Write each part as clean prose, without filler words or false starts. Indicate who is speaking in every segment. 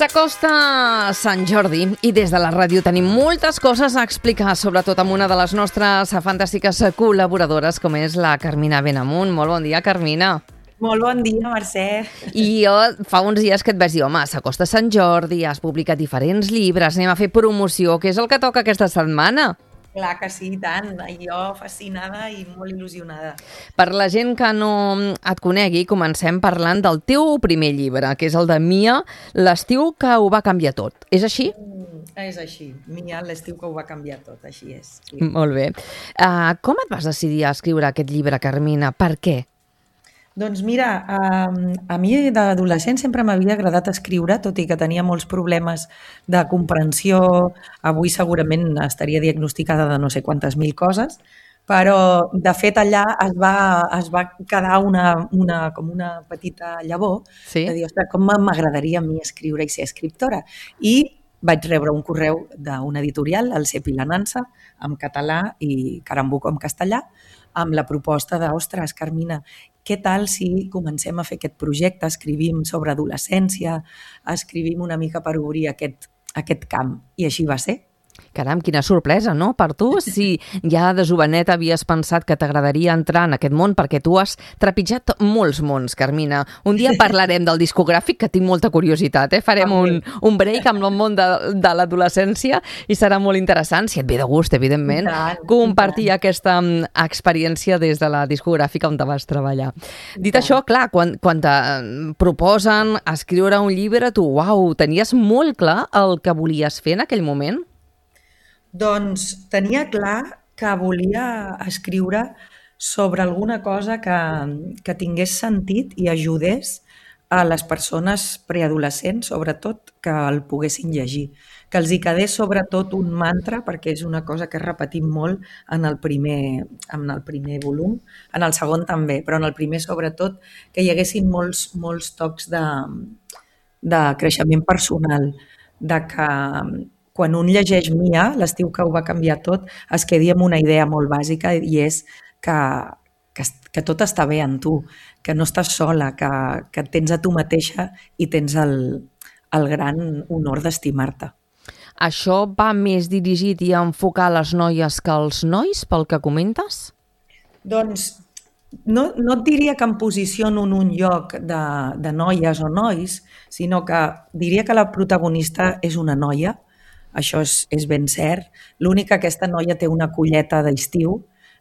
Speaker 1: S'acosta Sant Jordi i des de la ràdio tenim moltes coses a explicar, sobretot amb una de les nostres fantàstiques col·laboradores, com és la Carmina Benamunt. Molt bon dia, Carmina.
Speaker 2: Molt bon dia, Mercè.
Speaker 1: I jo fa uns dies que et vaig dir, home, s'acosta Sant Jordi, has publicat diferents llibres, anem a fer promoció, que és el que toca aquesta setmana.
Speaker 2: Clar que sí, tant. Jo fascinada i molt il·lusionada.
Speaker 1: Per la gent que no et conegui, comencem parlant del teu primer llibre, que és el de Mia, l'estiu que ho va canviar tot. És així?
Speaker 2: És així. Mia, l'estiu que ho va canviar tot, així és. Sí.
Speaker 1: Molt bé. Com et vas decidir a escriure aquest llibre, Carmina? Per què?
Speaker 2: Doncs mira, a mi d'adolescent sempre m'havia agradat escriure, tot i que tenia molts problemes de comprensió. Avui segurament estaria diagnosticada de no sé quantes mil coses, però de fet allà es va quedar com una petita llavor,
Speaker 1: Sí?
Speaker 2: de dir, ostres, com m'agradaria a mi escriure i ser escriptora. I vaig rebre un correu d'una editorial, el Cep i la Nansa, en català i Carambuco en castellà, amb la proposta de, ostres, Carmina, què tal si comencem a fer aquest projecte, escrivim sobre adolescència, escrivim una mica per obrir aquest camp. I així va ser.
Speaker 1: Caram, quina sorpresa, no? Per tu, si ja de jovenet havies pensat que t'agradaria entrar en aquest món, perquè tu has trepitjat molts mons, Carmina. Un dia parlarem del discogràfic, que tinc molta curiositat, eh? Farem un break amb el món de l'adolescència i serà molt interessant, si et ve de gust, evidentment, compartir aquesta experiència des de la discogràfica on te vas treballar. Dit això, clar, quan te proposen escriure un llibre, tu, uau, tenies molt clar el que volies fer en aquell moment?
Speaker 2: Doncs tenia clar que volia escriure sobre alguna cosa que tingués sentit i ajudés a les persones preadolescents, sobretot, que el poguessin llegir. Que els hi quedés sobretot un mantra, perquè és una cosa que repetim molt en el primer volum, en el segon també, però en el primer sobretot, que hi haguessin molts tocs de creixement personal, de que quan un llegeix Mia, l'estiu que ho va canviar tot, es quedi amb una idea molt bàsica i és que tot està bé en tu, que no estàs sola, que tens a tu mateixa i tens el gran honor d'estimar-te.
Speaker 1: Això va més dirigit i a enfocar les noies que els nois, pel que comentes?
Speaker 2: Doncs no et diria que em posiciono en un lloc de noies o nois, sinó que diria que la protagonista és una noia. Això és ben cert. L'únic que aquesta noia té una colleta d'estiu.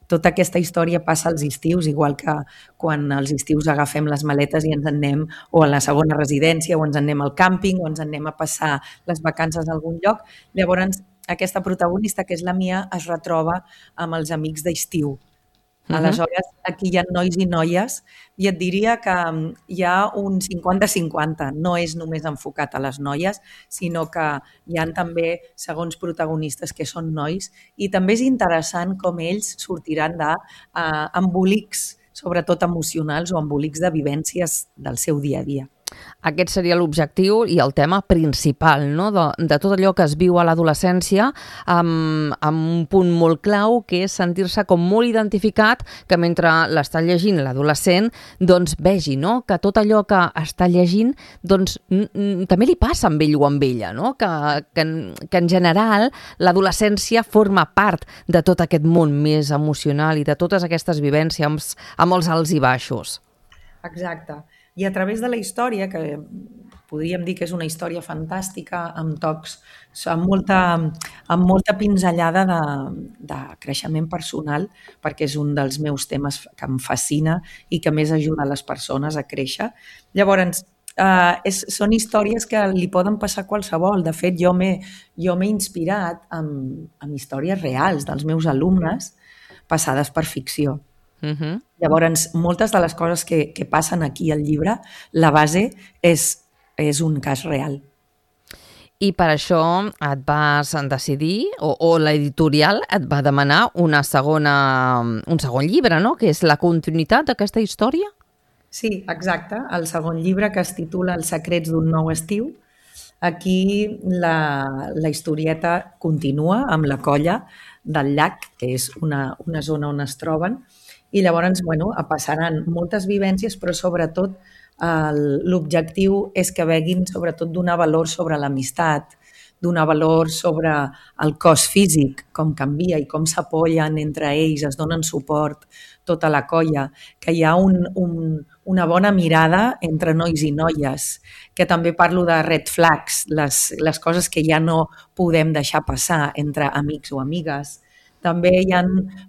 Speaker 2: Tota aquesta història passa als estius, igual que quan als estius agafem les maletes i ens en anem o a la segona residència, o ens en anem al càmping, o ens en anem a passar les vacances a algun lloc. Llavors, aquesta protagonista, que és la Mia, es retroba amb els amics d'estiu. Aleshores, aquí hi ha nois i noies i et diria que hi ha un 50-50. No és només enfocat a les noies, sinó que hi ha també segons protagonistes que són nois i també és interessant com ells sortiran d'embolics, sobretot emocionals o embolics de vivències del seu dia a dia.
Speaker 1: Aquest seria l'objectiu i el tema principal, no? De tot allò que es viu a l'adolescència amb un punt molt clau, que és sentir-se com molt identificat, que mentre l'està llegint l'adolescent, doncs vegi, no? Que tot allò que està llegint doncs, també li passa amb ell o amb ella, no? Que en general l'adolescència forma part de tot aquest món més emocional i de totes aquestes vivències amb els alts i baixos.
Speaker 2: Exacte. I a través de la història, que podríem dir que és una història fantàstica, amb tocs, amb molta pinzellada de creixement personal, perquè és un dels meus temes que em fascina i que més ajuda a les persones a créixer. Llavors, són històries que li poden passar a qualsevol. De fet, jo m'he inspirat amb històries reals dels meus alumnes passades per ficció. Llavors, moltes de les coses que passen aquí al llibre, la base és un cas real.
Speaker 1: I per això et vas decidir, o l'editorial et va demanar un segon llibre, no? Que és la continuïtat d'aquesta història?
Speaker 2: Sí, exacte. El segon llibre, que es titula Els secrets d'un nou estiu. Aquí la historieta continua amb la colla del llac, que és una zona on es troben, i llavors passaran moltes vivències, però sobretot L'objectiu és que veguin sobretot donar valor sobre l'amistat, donar valor sobre el cos físic, com canvia i com s'apoyen entre ells, es donen suport, tota la colla, que hi ha una bona mirada entre nois i noies, que també parlo de red flags, les coses que ja no podem deixar passar entre amics o amigues. També hi ha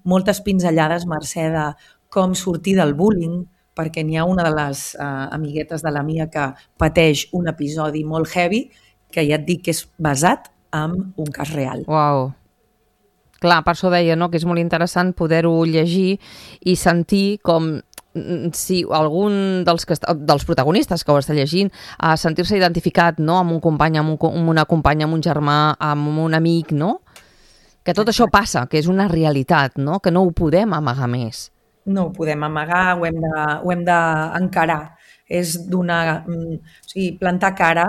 Speaker 2: moltes pinzellades, Mercè, de com sortir del bullying, perquè n'hi ha una de les amiguetes de la Mia que pateix un episodi molt heavy que ja et dic que és basat en un cas real.
Speaker 1: Uau! Clar, per això deia, no?, que és molt interessant poder-ho llegir i sentir com si algun dels protagonistes que ho està llegint sentir-se identificat, no?, amb un company, amb una companya, amb un germà, amb un amic, no? Que tot això passa, que és una realitat, no?, que no ho podem amagar més.
Speaker 2: No ho podem amagar, ho hem d'encarar. És plantar cara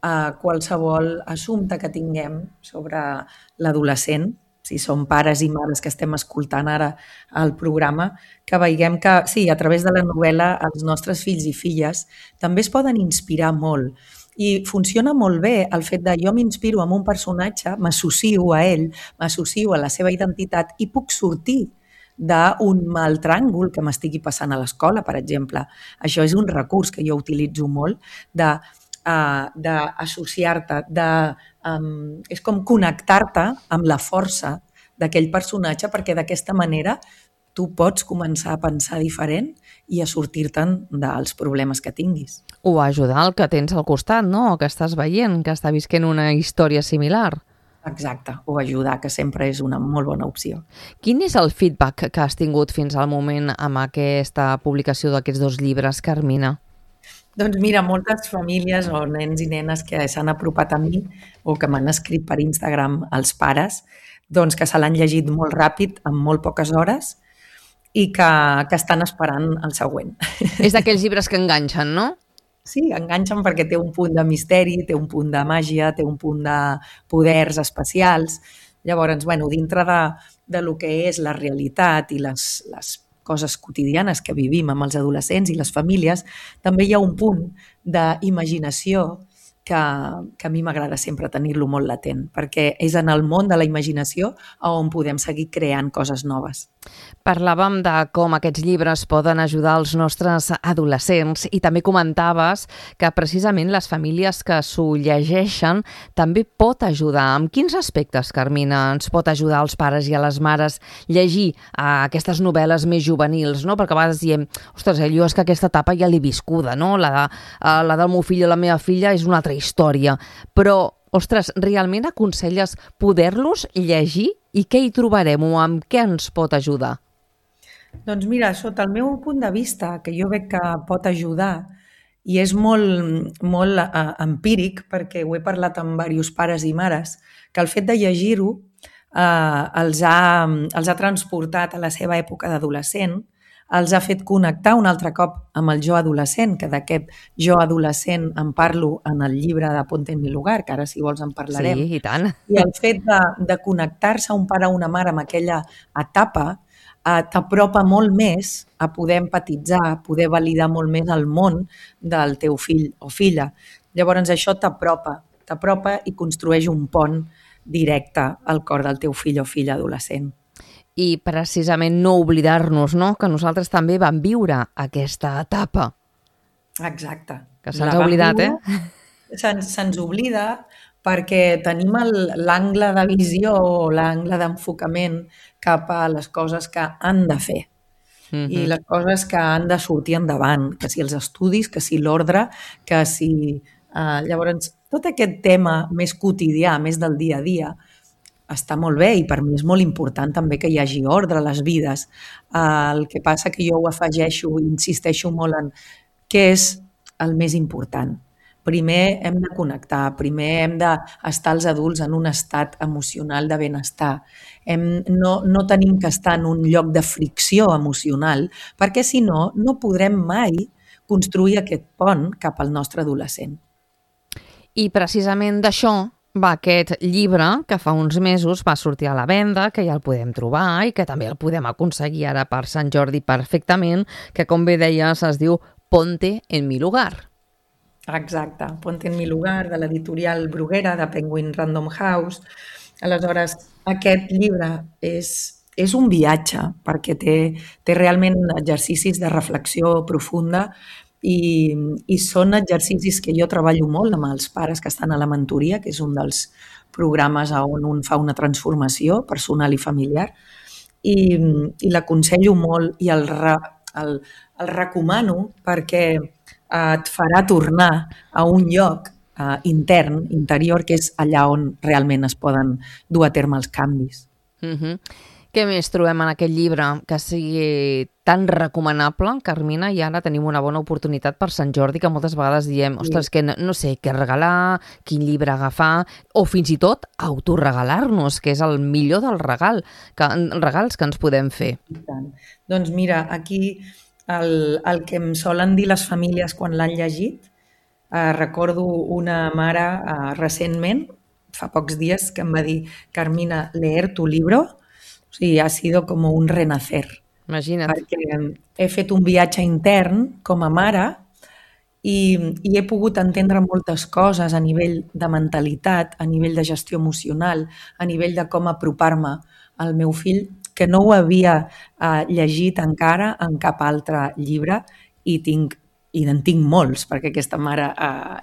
Speaker 2: a qualsevol assumpte que tinguem sobre l'adolescent, si som pares i mares que estem escoltant ara el programa, que veiem que, sí, a través de la novel·la els nostres fills i filles també es poden inspirar molt. I funciona molt bé el fet de jo m'inspiro en un personatge, m'associo a ell, m'associo a la seva identitat i puc sortir d'un mal tràngol que m'estigui passant a l'escola, per exemple. Això és un recurs que jo utilitzo molt d'associar-te, és com connectar-te amb la força d'aquell personatge perquè d'aquesta manera tu pots començar a pensar diferent i a sortir-te'n dels problemes que tinguis.
Speaker 1: O ajudar el que tens al costat, no?, o que estàs veient, que està visquent una història similar.
Speaker 2: Exacte, o ajudar, que sempre és una molt bona opció.
Speaker 1: Quin és el feedback que has tingut fins al moment amb aquesta publicació d'aquests 2 llibres, Carmina?
Speaker 2: Doncs mira, moltes famílies o nens i nenes que s'han apropat a mi o que m'han escrit per Instagram els pares, doncs que se l'han llegit molt ràpid, en molt poques hores, i que estan esperant el següent.
Speaker 1: És d'aquells llibres que enganxen, no?
Speaker 2: Sí, enganxen perquè té un punt de misteri, té un punt de màgia, té un punt de poders especials. Llavors, dintre de lo que és la realitat i les coses quotidianes que vivim amb els adolescents i les famílies, també hi ha un punt d'imaginació que a mi m'agrada sempre tenir-lo molt latent, perquè és en el món de la imaginació on podem seguir creant coses noves.
Speaker 1: Parlàvem de com aquests llibres poden ajudar els nostres adolescents i també comentaves que precisament les famílies que s'ho llegeixen també pot ajudar. En quins aspectes, Carmina, ens pot ajudar als pares i a les mares llegir aquestes novel·les més juvenils, no? Perquè a vegades diem, ostres, jo és que aquesta etapa ja l'he viscuda, no? La del meu fill o la meva filla és una altra història, però, ostres, realment aconselles poder-los llegir i què hi trobarem o amb què ens pot ajudar?
Speaker 2: Doncs mira, sota el meu punt de vista, que jo veig que pot ajudar, i és molt empíric, perquè ho he parlat amb diversos pares i mares, que el fet de llegir-ho els ha transportat a la seva època d'adolescent, els ha fet connectar un altre cop amb el jo adolescent, que d'aquest jo adolescent en parlo en el llibre de Ponte en mi lugar, que ara si vols en parlarem.
Speaker 1: Sí, i tant.
Speaker 2: I el fet de connectar-se un pare o una mare amb aquella etapa t'apropa molt més a poder empatitzar, a poder validar molt més el món del teu fill o filla. Llavors això t'apropa i construeix un pont directe al cor del teu fill o filla adolescent.
Speaker 1: I precisament no oblidar-nos, no?, que nosaltres també vam viure aquesta etapa.
Speaker 2: Exacte.
Speaker 1: Que se'ns ha oblidat,
Speaker 2: Se'ns oblida perquè tenim l'angle de visió o l'angle d'enfocament cap a les coses que han de fer i les coses que han de sortir endavant, que si els estudis, que si l'ordre, que si... Llavors, tot aquest tema més quotidià, més del dia a dia, està molt bé i per mi és molt important també que hi hagi ordre a les vides. El que passa que jo ho afegeixo i insisteixo molt en què és el més important. Primer hem de connectar, primer hem d'estar els adults en un estat emocional de benestar. No tenim que estar en un lloc de fricció emocional perquè si no, no podrem mai construir aquest pont cap al nostre adolescent.
Speaker 1: I precisament d'això va aquest llibre que fa uns mesos va sortir a la venda, que ja el podem trobar i que també el podem aconseguir ara per Sant Jordi perfectament, que com bé deies es diu Ponte en mi lugar.
Speaker 2: Exacte, Ponte en mi lugar, de l'editorial Bruguera, de Penguin Random House. Aleshores, aquest llibre és un viatge, perquè té realment exercicis de reflexió profunda i són exercicis que jo treballo molt amb els pares que estan a la mentoria, que és un dels programes on un fa una transformació personal i familiar, i l'aconsello molt i el recomano perquè et farà tornar a un lloc intern, interior, que és allà on realment es poden dur a terme els canvis.
Speaker 1: Què més trobem en aquest llibre que sigui tan recomanable, Carmina? I ara tenim una bona oportunitat per Sant Jordi, que moltes vegades diem, ostres, que no sé què regalar, quin llibre agafar, o fins i tot autoregalar-nos, que és el millor del regals que ens podem fer.
Speaker 2: Doncs mira, aquí el que em solen dir les famílies quan l'han llegit, recordo una mare recentment, fa pocs dies, que em va dir: Carmina, leer tu libro, o sigui, ha sido como un renacer.
Speaker 1: Imagina't.
Speaker 2: Perquè he fet un viatge intern com a mare i he pogut entendre moltes coses a nivell de mentalitat, a nivell de gestió emocional, a nivell de com apropar-me al meu fill, que no ho havia llegit encara en cap altre llibre i en tinc molts, perquè aquesta mare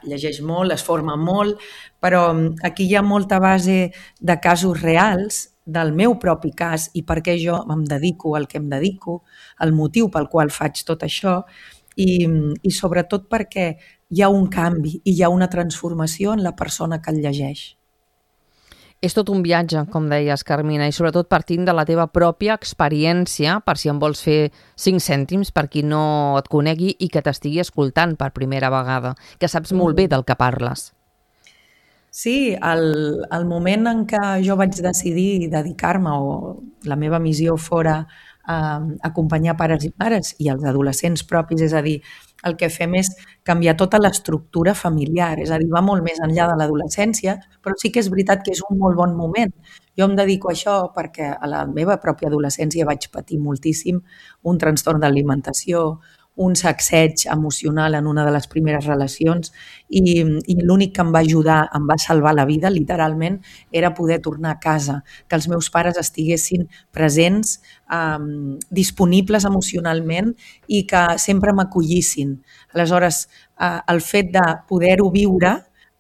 Speaker 2: llegeix molt, es forma molt, però aquí hi ha molta base de casos reals, del meu propi cas i per què jo em dedico al que em dedico, el motiu pel qual faig tot això i sobretot perquè hi ha un canvi i hi ha una transformació en la persona que el llegeix.
Speaker 1: És tot un viatge, com deies, Carmina, i sobretot partint de la teva pròpia experiència, per si en vols fer 5 cèntims per qui no et conegui i que t'estigui escoltant per primera vegada, que saps molt bé del que parles.
Speaker 2: Sí, el moment en què jo vaig decidir dedicar-me o la meva missió fora acompanyar pares i mares i els adolescents propis, és a dir, el que fem és canviar tota l'estructura familiar, és a dir, va molt més enllà de l'adolescència, però sí que és veritat que és un molt bon moment. Jo em dedico a això perquè a la meva pròpia adolescència vaig patir moltíssim un trastorn d'alimentació, un sacseig emocional en una de les primeres relacions i l'únic que em va ajudar, em va salvar la vida, literalment, era poder tornar a casa, que els meus pares estiguessin presents, disponibles emocionalment i que sempre m'acollissin. Aleshores, el fet de poder-ho viure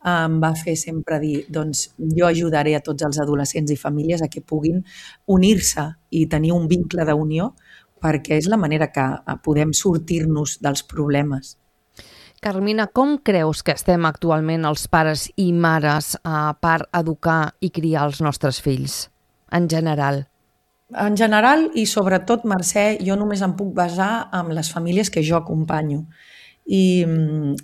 Speaker 2: em va fer sempre dir, doncs jo ajudaré a tots els adolescents i famílies a que puguin unir-se i tenir un vincle d'unió, perquè és la manera que podem sortir-nos dels problemes.
Speaker 1: Carmina, com creus que estem actualment els pares i mares per educar i criar els nostres fills, en general?
Speaker 2: En general i sobretot, Mercè, jo només em puc basar en les famílies que jo acompanyo. I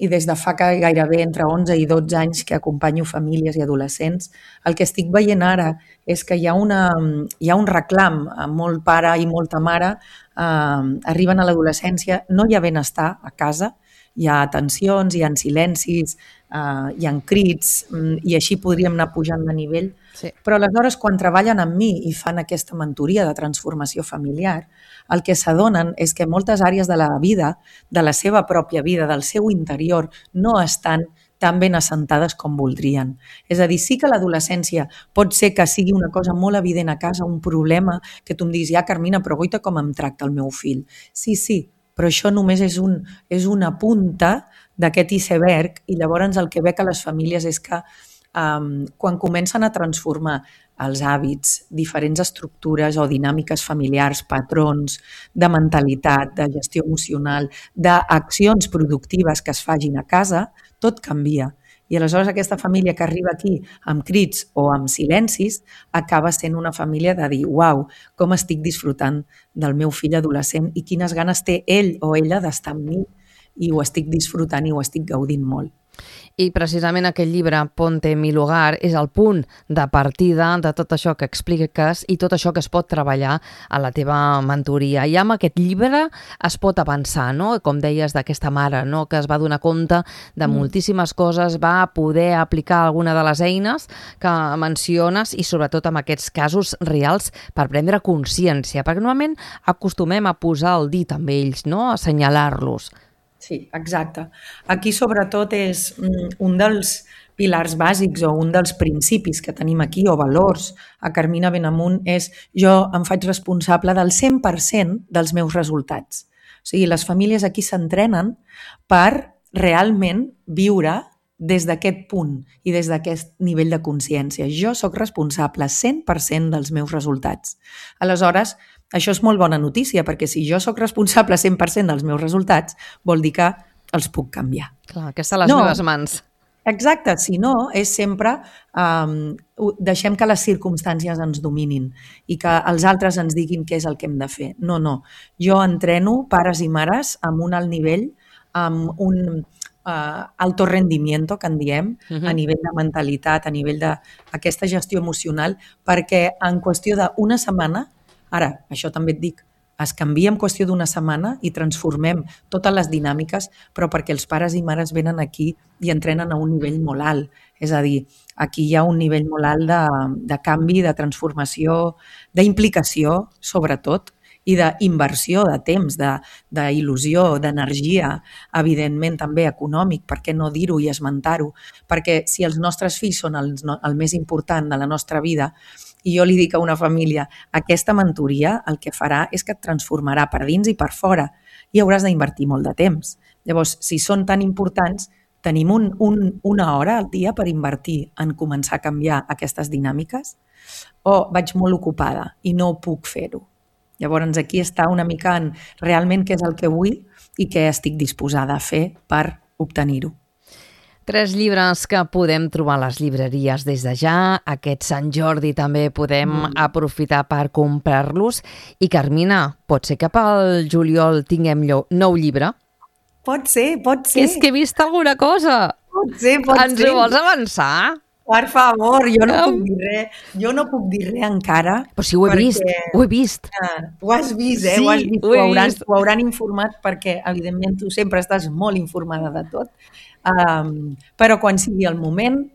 Speaker 2: des de fa gairebé entre 11 i 12 anys que acompanyo famílies i adolescents, el que estic veient ara és que hi ha un reclam, molt pare i molta mare arriben a l'adolescència, no hi ha benestar a casa, hi ha tensions, hi ha silencis, hi ha crits i així podríem anar pujant de nivell. Sí. Però aleshores quan treballen amb mi i fan aquesta mentoria de transformació familiar, el que s'adonen és que moltes àrees de la vida, de la seva pròpia vida, del seu interior, no estan tan ben assentades com voldrien. És a dir, sí que l'adolescència pot ser que sigui una cosa molt evident a casa, un problema, que tu em diguis, ja Carmina, però guaita com em tracta el meu fill. Sí, però això només és una punta d'aquest iceberg i llavors el que veig a les famílies és que quan comencen a transformar els hàbits, diferents estructures o dinàmiques familiars, patrons de mentalitat, de gestió emocional, d'accions productives que es facin a casa, tot canvia. I aleshores aquesta família que arriba aquí amb crits o amb silencis acaba sent una família de dir uau, com estic disfrutant del meu fill adolescent i quines ganes té ell o ella d'estar amb mi i ho estic disfrutant i ho estic gaudint molt.
Speaker 1: I precisament aquest llibre, Ponte en mi lugar, és el punt de partida de tot això que expliques i tot això que es pot treballar a la teva mentoria. I amb aquest llibre es pot avançar, no? Com deies d'aquesta mare, no? Que es va donar compte de moltíssimes coses, va poder aplicar alguna de les eines que menciones i sobretot amb aquests casos reals per prendre consciència, perquè normalment acostumem a posar el dit amb ells, no? A assenyalar-los.
Speaker 2: Sí, exacte. Aquí sobretot és un dels pilars bàsics o un dels principis que tenim aquí, o valors, a Carmina Benamunt, és jo em faig responsable del 100% dels meus resultats. O sigui, les famílies aquí s'entrenen per realment viure des d'aquest punt i des d'aquest nivell de consciència. Jo sóc responsable 100% dels meus resultats. Aleshores, això és molt bona notícia, perquè si jo sóc responsable 100% dels meus resultats, vol dir que els puc canviar.
Speaker 1: Clar, que està a les meves mans.
Speaker 2: Exacte, si no, és sempre deixem que les circumstàncies ens dominin i que els altres ens diguin què és el que hem de fer. No, no. Jo entreno pares i mares amb un alt nivell, amb un alto rendimiento, que en diem, a nivell de mentalitat, a nivell d'aquesta gestió emocional, perquè en qüestió d'una setmana, ara, això també et dic, es canvia en qüestió d'una setmana i transformem totes les dinàmiques, però perquè els pares i mares venen aquí i entrenen a un nivell molt alt. És a dir, aquí hi ha un nivell molt alt de canvi, de transformació, d'implicació, sobretot, i d'inversió de temps, d'il·lusió, d'energia, evidentment també econòmic, per què no dir-ho i esmentar-ho, perquè si els nostres fills són el més important de la nostra vida, i jo li dic a una família, aquesta mentoria el que farà és que et transformarà per dins i per fora i hauràs d'invertir molt de temps. Llavors, si són tan importants, tenim una hora al dia per invertir en començar a canviar aquestes dinàmiques o vaig molt ocupada i no puc fer-ho. Llavors, aquí està una mica en realment què és el que vull i què estic disposada a fer per obtenir-ho.
Speaker 1: 3 llibres que podem trobar a les llibreries des de ja. Aquest Sant Jordi també podem aprofitar per comprar-los. I Carmina, pot ser que pel juliol tinguem nou llibre?
Speaker 2: Pot ser, pot ser.
Speaker 1: És que he vist alguna cosa.
Speaker 2: Pot ser, pot ser.
Speaker 1: Ens ho vols avançar?
Speaker 2: Per favor, jo no puc dir res. Jo no puc dir res encara.
Speaker 1: Però si ho he vist, ho he vist.
Speaker 2: Ho has vist, eh?
Speaker 1: Sí,
Speaker 2: ho has vist.
Speaker 1: ho he vist.
Speaker 2: Ho hauran informat perquè, evidentment, tu sempre estàs molt informada de tot. Però quan sigui el moment,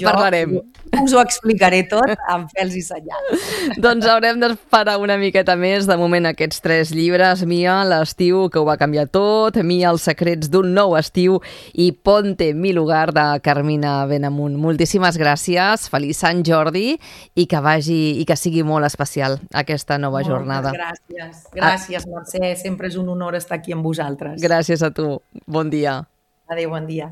Speaker 1: parlarem.
Speaker 2: Us ho explicaré tot amb pèls i senyals.
Speaker 1: Doncs haurem d'esperar una miqueta més. De moment aquests 3 llibres, Mia, l'estiu que ho va canviar tot, Mia, els secrets d'un nou estiu i Ponte mi lugar de Carmina Benamunt. Moltíssimes gràcies, feliç Sant Jordi i que sigui molt especial aquesta nova jornada.
Speaker 2: Gràcies, gràcies Mercè, sempre és un honor estar aquí amb vosaltres.
Speaker 1: Gràcies a tu, bon dia.
Speaker 2: Adéu, bon dia.